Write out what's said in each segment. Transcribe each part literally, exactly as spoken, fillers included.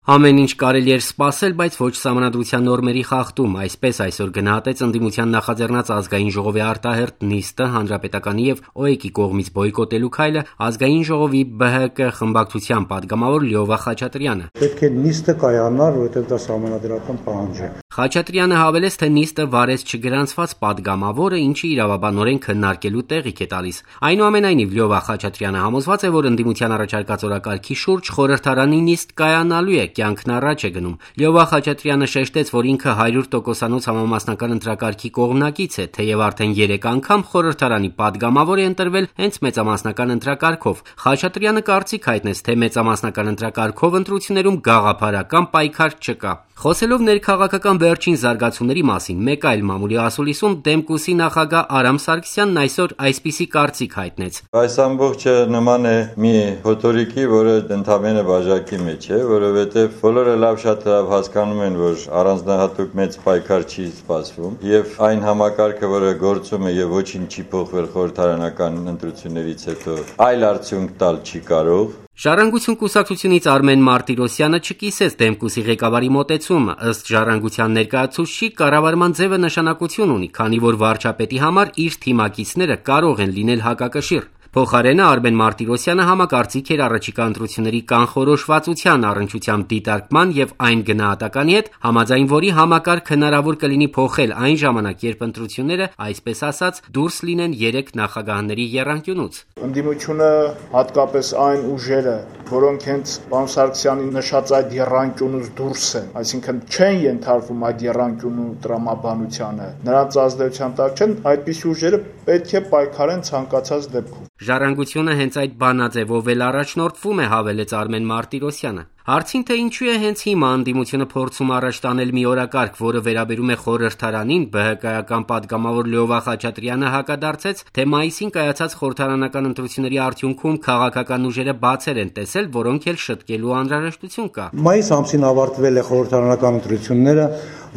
Ամեն ինչ կարելի էր սպասել, բայց ոչ սահմանադրության նորմերի խախտում, այսպես այսօր գնահատեց ընդդիմության նախաձեռնած ազգային ժողովի արտահերթ նիստը հանրապետականի եւ ՕԵԿ-ի կողմից բոյկոտելու քայլը ազգային ժողովի ԲՀԿ խմբակցության падգամավոր Լյովա Խաչատրյանը։ Պետք է նիստը կայանար, որովհետեւ դա սահմանադրական պահանջ է։ Խաչատրյանը հավելեց, թե նիստը վարեց չգրանցված падգամավորը, ինչը իրավաբանորեն քննարկելու տեղիք է տալիս։ Այնուամենայնիվ Լյովա Խաչատրյանը համոզված է, որ ընդդիմության առաջարկած օրակարգի շուրջ խորհրդարանի նիստ կայանալու է, կյանքն առաջ է գնում։ Լյովա Խաչատրյանը շեշտեց, որ ինքը հարյուր տոկոսանոց համամասնական ընտրակարգի կողմնակից է, թեև արդեն երեք անգամ խորհրդարանի падգամավոր է ընտրվել հենց մեծամասնական ընտրակարգով։ Խաչատրյանը կարծիք հայտնեց, թե մեծամասնական ընտրակարգով ընտրություններում գաղափարական պայքար չկա։ Խոսելով ներքաղաքական վերջին զարգացումների մասին մեկ այլ մամուլի ասուլիսում Դեմկուսի նախագահ Արամ Սարգսյանն այսօր այսպիսի կարծիք հայտնեց։ Այս ամբողջը նման է մի հոտորիկի, որը ընդամենը բաժակի մեջ է, որովհետև բոլորը լավ շատ լավ հասկանում են, որ առանձնահատուկ մեծ պայքար չի սպասվում, եւ այն համակարգը, որը գործում է եւ ոչինչ չի փոխվել խորհրդարանական ընտրություններից հետո, այլ արդյունք տալ չի կարող։ Ժառանգություն կուսակցությունից Արմեն Մարտիրոսյանը չկիսեց Դեմկուսի ղեկավարի մոտեցումը, ըստ Ժառանգության ներկայացուցչի կառավարման ձևը նշանակություն ունի, քանի որ վարչապետի համար իր թիմակիցները կարող են լինել հակակշիռ։ Փոխարենը Արմեն Մարտիրոսյանը համակարծիք էր առաջիկա ընտրությունների կանխորոշվածության առնչությամբ դիտարկման եւ այն գնահատականի հետ, համաձայն որի համակարգ հնարավոր կլինի փոխել այն ժամանակ, երբ ընտրությունները, այսպես ասած, դուրս լինեն երեք նախագահների եռանկյունուց։ Ընդդիմությունը, հատկապես այն ուժերը, որոնք հենց պարոն Սարգսյանի նշած այդ եռանկյունուց դուրս են, այսինքն չեն ենթարկվում այդ եռանկյունու տրամաբանությանը, նրանց ազդեցության տակ չեն, այդպիսի ուժերը պետք է պայքարեն ցանկացած դեպքում։ Ժառանգությունը հենց այդ բանաձևով էլ առաջնորդվում է, հավելեց Արմեն Մարտիրոսյանը։ Հարցին, թե ինչու է հենց հիմա ընդդիմությունը փորձում առաջ տանել մի օրակարգ, որը վերաբերում է խորհրդարանին, ԲՀԿ-ական падգամավոր Լյովա Խաչատրյանը հակադարձեց, թե մայիսին կայացած խորհրդարանական ընտրությունների արդյունքում քաղաքական ուժերը բացեր են տեսել, որոնք էլ շտկելու անհրաժեշտություն կա։ Մայիս ամսին ավարտվել է խորհրդարանական ընտրությունները,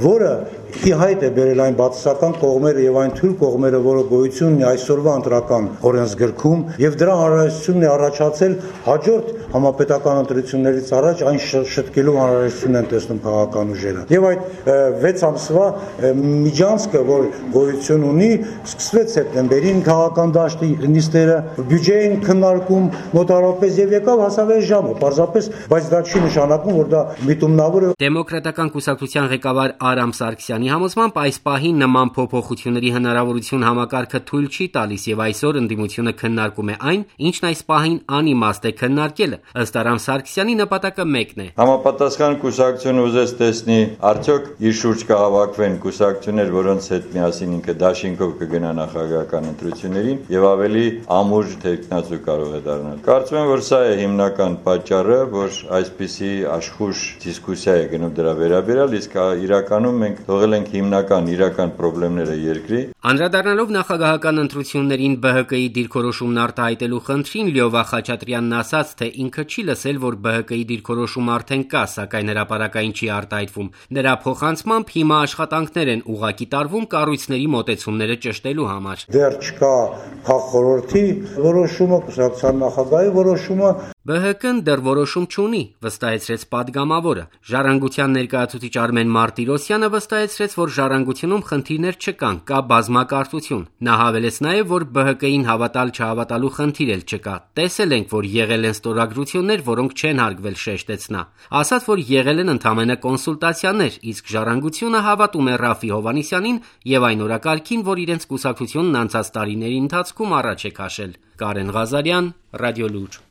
որը ի հայտ է բերել այն բացասական կողմերը եւ այն թույլ կողմերը, որը գոյություն ունի այսօրվա ընտրական օրենսգրքում, եւ դրա անհրաժեշտությունն է առաջացել հաջորդ համապետական ընտրություններից առաջ այն շտկելու անհրաժեշտություն են տեսնում քաղաքական ուժերը։ Եվ այդ վեց ամսվա միջանցքը, որ գոյություն ունի, սկսվեց սեպտեմբերին քաղաքական դաշտի նիստերը, բյուջեին քննարկում մոտավորապես եւ եկավ հասավ այս ժամը, պարզապես, բայց դա չի նշանակում, որ դա միտումնավոր է։ Դեմոկրատական կուսակցության ղեկավար Արամ Սարգսյանի համոզմամբ այս պահին նման փոփոխությունների հնարավորություն համակարգը թույլ չի տալիս եւ այսօր ընդդիմությունը քննարկում է այն, ինչն այս պահին անիմաստ է քննարկելը։ Ըստ Արամ Սարգսյանի նպատակը մեկն է։ Համապատասխան կուսակցությունը ուզեց տեսնի արդյոք իր շուրջ կհավաքվեն կուսակցություններ, որոնց հետ միասին ինքը դաշինքով կգնա նախագահական ընտրություններին եւ ավելի ամուր թեկնածու կարող է դառնալ։ Կարծում եմ, որ սա է հիմնական պատճառը, որ այսպիսի աշխուժ դիսկուսիա է գնում դրա վերաբերյալ, իսկ իրականում մենք թողել ենք հիմնական իրական խնդիրները երկրի։ Անդրադառնալով նախագահական ընտրություններին ԲՀԿ-ի դիրքորոշումն արտահայտելու խնդրին, Լյովա Խաչատրյանն ասաց, թե ինքը չի լսել, որ ԲՀԿ-ի դիրքորոշումը արդեն կա, սակայն հրապարակային չի արտահայտվում։ Նրա փոխանցմամբ հիմա աշխատանքներ են ուղղակի տարվում կառույցների մոտեցումները ճշտելու համար։ Դեռ չկա քաղաքորոշի որոշումը, կուսակցության նախագահի որոշումը։ ԲՀԿ-ն դեռ որոշում չունի, վստահեցրեց падգամավորը։ Ժառանգության ներկայացուցիչ Արմեն Մարտիրոսյանը վստահեցրեց, որ ժառանգությունում խնդիրներ չկան, կա բազմակարծություն։ Նա հավելեց նաև, որ ԲՀԿ-ին հավատալ-չհավատալու խնդիր էլ չկա։ Տեսել ենք, որ եղել են ստորագրություններ, որոնք չեն հարգվել, շեշտեց նա։ Ասաց, որ եղել են ընդամենը կոնսուլտացիաներ, իսկ ժառանգությունը հավատում է Ռաֆի Հովհաննիսյանին եւ այն օրակարգին, որ իրենց կուսակցությունն անցած տարիների ընթացքում առաջ է քաշել։ Կարեն Ղազարյան, Ռադիոլուր։